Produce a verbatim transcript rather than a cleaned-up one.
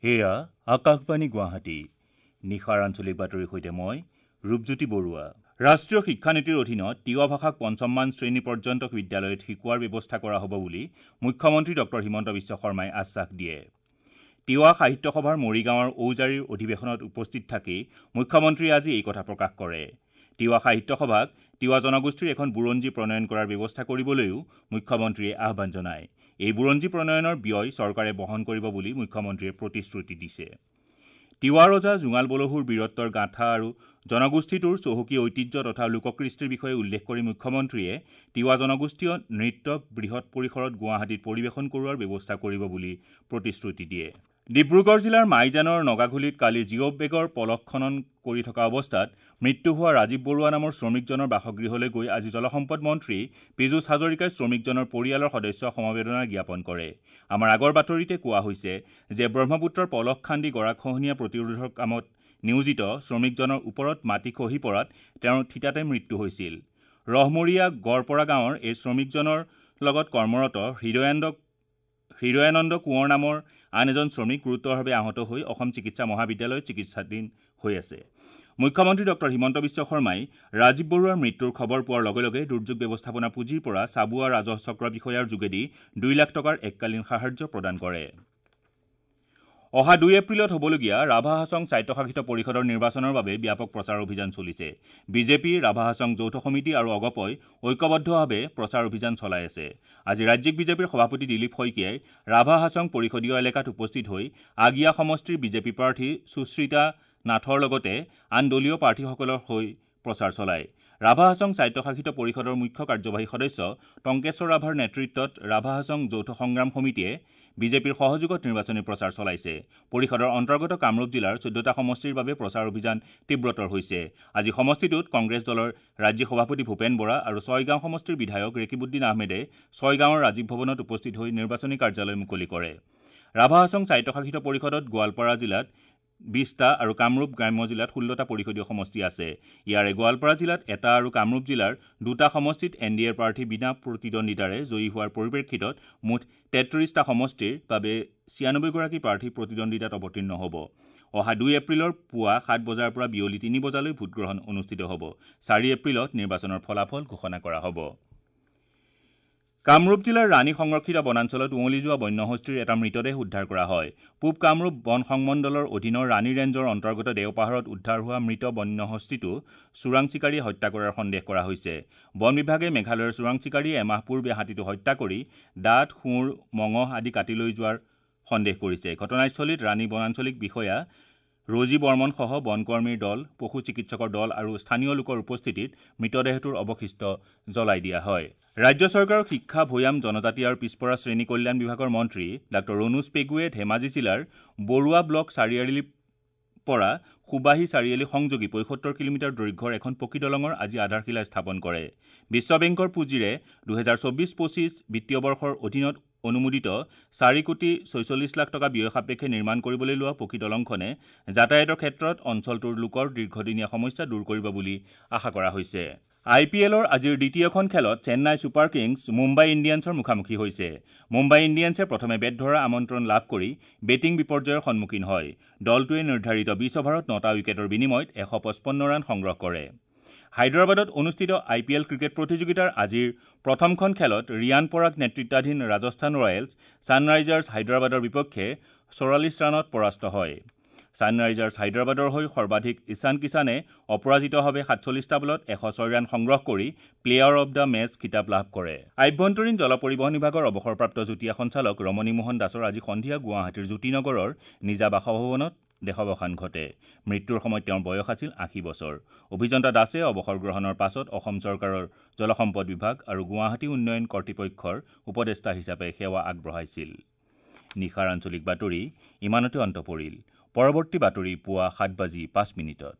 এয়া আকাশবাণী গুৱাহাটী। নিশাৰ আঞ্চলিক বাতৰিৰ সৈতে মই ৰূপজ্যোতি বৰুৱা। ৰাষ্ট্ৰীয় শিক্ষানীতিৰ অধীনত তিৱা ভাষাক পঞ্চমমান শ্ৰেণী পৰ্যন্ত বিদ্যালয়ত শিকোৱাৰ ব্যৱস্থা কৰা হ'ব বুলি মুখ্যমন্ত্ৰী ডক্টৰ হিমন্ত বিশ্ব শৰ্মাই আশ্বাস দিয়ে। তিৱা সাহিত্য সভাৰ মৰিগাঁৱৰ ঔজাৰীৰ অধিৱেশনত উপস্থিত থাকি মুখ্যমন্ত্ৰীয়ে আজি এই কথা প্ৰকাশ কৰে। তিৱা সাহিত্য সভাক তিৱা জনগোষ্ঠীৰ এখন বুৰঞ্জী প্ৰণয়ন কৰাৰ ব্যৱস্থা কৰিবলৈও মুখ্যমন্ত্ৰীয়ে আহ্বান জনায়। এই বুৰঞ্জী প্ৰণয়নৰ ব্যয় চৰকাৰে বহন কৰিব বুলি মুখ্যমন্ত্ৰীয়ে প্ৰতিশ্ৰুতি দিছে। তিৱা ৰজা জোঙাল বলহুৰ বীৰত্বৰ গাথা আৰু জনগোষ্ঠীটোৰ চহকী ঐতিহ্য তথা লোককৃষ্টিৰ বিষয়ে উল্লেখ কৰি মুখ্যমন্ত্ৰীয়ে তিৱা জনগোষ্ঠীয় নৃত্যক বৃহৎ পৰিসৰত গুৱাহাটীত পৰিৱেশন কৰোৱাৰ ব্যৱস্থা কৰিব বুলি প্ৰতিশ্ৰুতি দিয়ে। ডিব্ৰুগড় জিলাৰ মাইজানৰ নগাঘুলিত কালি জিঅ' বেগৰ পলস খনন কৰি থকা অৱস্থাত মৃত্যু হোৱা ৰাজীৱ বৰুৱা নামৰ শ্ৰমিকজনৰ বাসগৃহলৈ গৈ আজি জলসম্পদ মন্ত্ৰী পীযুষ হাজৰিকাই শ্ৰমিকজনৰ পৰিয়ালৰ সদস্যক সমবেদনা জ্ঞাপন কৰে। আমাৰ আগৰ বাতৰিতে কোৱা হৈছে যে ব্ৰহ্মপুত্ৰৰ পলস খান্দি গৰাখহনীয়া প্ৰতিৰোধৰ কামত নিয়োজিত শ্ৰমিকজনৰ ওপৰত মাটি খহি পৰাত তেওঁৰ থিতাতে মৃত্যু হৈছিল। ৰহমৰীয়া গড়পৰা গাঁৱৰ এই শ্ৰমিকজনৰ লগত কৰ্মৰত হৃদয়ানন্দ হৃদয়ানন্দ কোঁৱৰ নামৰ আন এজন শ্ৰমিক গুৰুতৰভাৱে আহত হৈ অসম চিকিৎসা মহাবিদ্যালয়ত চিকিৎসাধীন হৈ আছে। মুখ্যমন্ত্ৰী ডক্টৰ হিমন্ত বিশ্ব শৰ্মাই ৰাজীৱ বৰুৱাৰ মৃত্যুৰ খবৰ পোৱাৰ লগে লগে দুৰ্যোগ ব্যৱস্থাপনা পুঁজিৰ পৰা চাবুৱা ৰাজহ চক্ৰ বিষয়াৰ যোগেদি দুই লাখ টকাৰ এককালীন সাহায্য প্ৰদান কৰে। অহা দুই এপ্ৰিলত হ'বলগীয়া ৰাভা হাছং স্বায়ত্তশাসিত পৰিষদৰ নিৰ্বাচনৰ বাবে ব্যাপক প্ৰচাৰ অভিযান চলিছে। বিজেপি, ৰাভা হাছং যৌথ সমিতি আৰু অগপই ঐক্যবদ্ধভাৱে প্ৰচাৰ অভিযান চলাই আছে। আজি ৰাজ্যিক বিজেপিৰ সভাপতি দিলীপ শইকীয়াই ৰাভা হাছং পৰিষদীয় এলেকাত উপস্থিত হৈ আগিয়া সমষ্টিৰ বিজেপি প্ৰাৰ্থী সুশ্ৰীতা নাথৰ লগতে আন দলীয় প্ৰাৰ্থীসকলৰ হৈ প্ৰচাৰ চলায়। ৰাভা হাছং স্বায়ত্তশাসিত পৰিষদৰ মুখ্য কাৰ্যবাহী সদস্য টংকেশ্বৰ ৰাভাৰ নেতৃত্বত ৰাভা হাছং যৌথ সংগ্ৰাম সমিতিয়ে বিজেপিৰ সহযোগত নিৰ্বাচনী প্ৰচাৰ চলাইছে। পৰিষদৰ অন্তৰ্গত কামৰূপ জিলাৰ চৈধ্যটা সমষ্টিৰ বাবে প্ৰচাৰ অভিযান তীব্ৰতৰ হৈছে। আজি সমষ্টিটোত কংগ্ৰেছ দলৰ ৰাজ্যিক সভাপতি ভূপেন বৰা আৰু ছয়গাঁও সমষ্টিৰ বিধায়ক ৰেকিবুদ্দিন আহমেদে ছয়গাঁৱৰ ৰাজীৱ ভৱনত উপস্থিত হৈ নিৰ্বাচনী কাৰ্যালয় মুকলি কৰে। ৰাভা হাছং স্বায়ত্তশাসিত পৰিষদত গোৱালপাৰা জিলাত বিশটা আৰু কামৰূপ গ্ৰাম্য জিলাত ষোল্লটা পৰিষদীয় সমষ্টি আছে। ইয়াৰে গোৱালপাৰা জিলাত এটা আৰু কামৰূপ জিলাৰ দুটা সমষ্টিত এন ডি এৰ প্ৰাৰ্থী বিনা প্ৰতিদ্বন্দ্বিতাৰে জয়ী হোৱাৰ পৰিপ্ৰেক্ষিতত মুঠ তেত্ৰিশটা সমষ্টিৰ বাবে ছিয়ানব্বৈগৰাকী প্ৰাৰ্থী প্ৰতিদ্বন্দ্বিতাত অৱতীৰ্ণ হ'ব। অহা দুই এপ্ৰিলৰ পুৱা সাত বজাৰ পৰা বিয়লি তিনি বজালৈ ভোটগ্ৰহণ অনুষ্ঠিত হ'ব। চাৰি এপ্ৰিলত নিৰ্বাচনৰ ফলাফল ঘোষণা কৰা হ'ব। কামৰূপ জিলাৰ ৰাণী সংৰক্ষিত বনাঞ্চলত উৱলি যোৱা বন্যহস্তীৰ এটা মৃতদেহ উদ্ধাৰ কৰা হয়। পূব কামৰূপ বন সংমণ্ডলৰ অধীনৰ ৰাণী ৰেঞ্জৰ অন্তৰ্গত দেওপাহাৰত উদ্ধাৰ হোৱা মৃত বন্যহস্তীটো চোৰাং চিকাৰীয়ে হত্যা কৰাৰ সন্দেহ কৰা হৈছে। বন বিভাগে মেঘালয়ৰ চোৰাং চিকাৰীয়ে এমাহ পূৰ্বে হাতীটো হত্যা কৰি দাঁত, শুঁৰ, মঙহ আদি কাটি লৈ যোৱাৰ সন্দেহ কৰিছে। ঘটনাস্থলীত ৰাণী বনাঞ্চলিক বিষয়া ৰজী বৰ্মনসহ বনকৰ্মীৰ দল, পশু চিকিৎসকৰ দল আৰু স্থানীয় লোকৰ উপস্থিতিত মৃতদেহটোৰ অৱশিষ্ট জ্বলাই দিয়া হয়। ৰাজ্য চৰকাৰৰ শিক্ষা, ভৈয়াম, জনজাতি আৰু পিছপৰা শ্ৰেণী কল্যাণ বিভাগৰ মন্ত্ৰী ডাঃ ৰণোজ পেগুৱে ধেমাজি জিলাৰ বৰুৱা ব্লক চাৰিআলিৰ পৰা সুবাহী চাৰিআলি সংযোগী পঁয়সত্তৰ কিলোমিটাৰ দৈৰ্ঘ্যৰ এখন পকী দলঙৰ আজি আধাৰশিলা স্থাপন কৰে। বিশ্ব বেংকৰ পুঁজিৰে দুহেজাৰ চৌবিছ পঁচিছ বিত্তীয় বৰ্ষৰ অধীনত অনুমোদিত চাৰি কোটি ছয়চল্লিছ লাখ টকা ব্যয় সাপেক্ষে নিৰ্মাণ কৰিবলৈ লোৱা পকী দলংখনে যাতায়াতৰ ক্ষেত্ৰত অঞ্চলটোৰ লোকৰ দীৰ্ঘদিনীয়া সমস্যা দূৰ কৰিব বুলি আশা কৰা হৈছে। আই পি এলৰ আজিৰ দ্বিতীয়খন খেলত চেন্নাই ছুপাৰ কিংছ মুম্বাই ইণ্ডিয়ানছৰ মুখামুখি হৈছে। মুম্বাই ইণ্ডিয়ানছে প্ৰথমে বেট ধৰাৰ আমন্ত্ৰণ লাভ কৰি বেটিং বিপৰ্যয়ৰ সন্মুখীন হয়। দলটোৱে নিৰ্ধাৰিত বিছ অভাৰত নটা উইকেটৰ বিনিময়ত এশ পঁচপন্ন ৰান সংগ্ৰহ কৰে। হায়দৰাবাদত অনুষ্ঠিত আই পি এল ক্ৰিকেট প্ৰতিযোগিতাৰ আজিৰ প্ৰথমখন খেলত ৰিয়ান পৰাগ নেতৃত্বাধীন ৰাজস্থান ৰয়েলছ ছানৰাইজাৰ্ছ হায়দৰাবাদৰ বিপক্ষে চৌৰাল্লিছ ৰানত পৰাস্ত হয়। ছানৰাইজাৰ্ছ হায়দৰাবাদৰ হৈ সৰ্বাধিক ঈশান কিষাণে অপৰাজিতভাৱে সাতচল্লিছটা বলত এশ ছয় ৰান সংগ্ৰহ কৰি প্লেয়াৰ অৱ the match খিতাপ লাভ কৰে। আভ্যন্তৰীণ জল পৰিবহণ বিভাগৰ অৱসৰপ্ৰাপ্ত যুটীয়া সঞ্চালক ৰমণী মোহন দাসৰ আজি সন্ধিয়া গুৱাহাটীৰ জ্যোতিনগৰৰ নিজা বাসভৱনত দেহাৱসান ঘটে। মৃত্যুৰ সময়ত তেওঁৰ বয়স আছিল আশী বছৰ। অভিযন্তা দাসে অৱসৰ গ্ৰহণৰ পাছত অসম চৰকাৰৰ জলসম্পদ বিভাগ আৰু গুৱাহাটী উন্নয়ন কৰ্তৃপক্ষৰ উপদেষ্টা হিচাপে সেৱা আগবঢ়াইছিল। নিশাৰ আঞ্চলিক বাতৰি ইমানতে অন্ত পৰিল। পৰৱৰ্তী বাতৰি পুৱা সাত বাজি পাঁচ মিনিটত।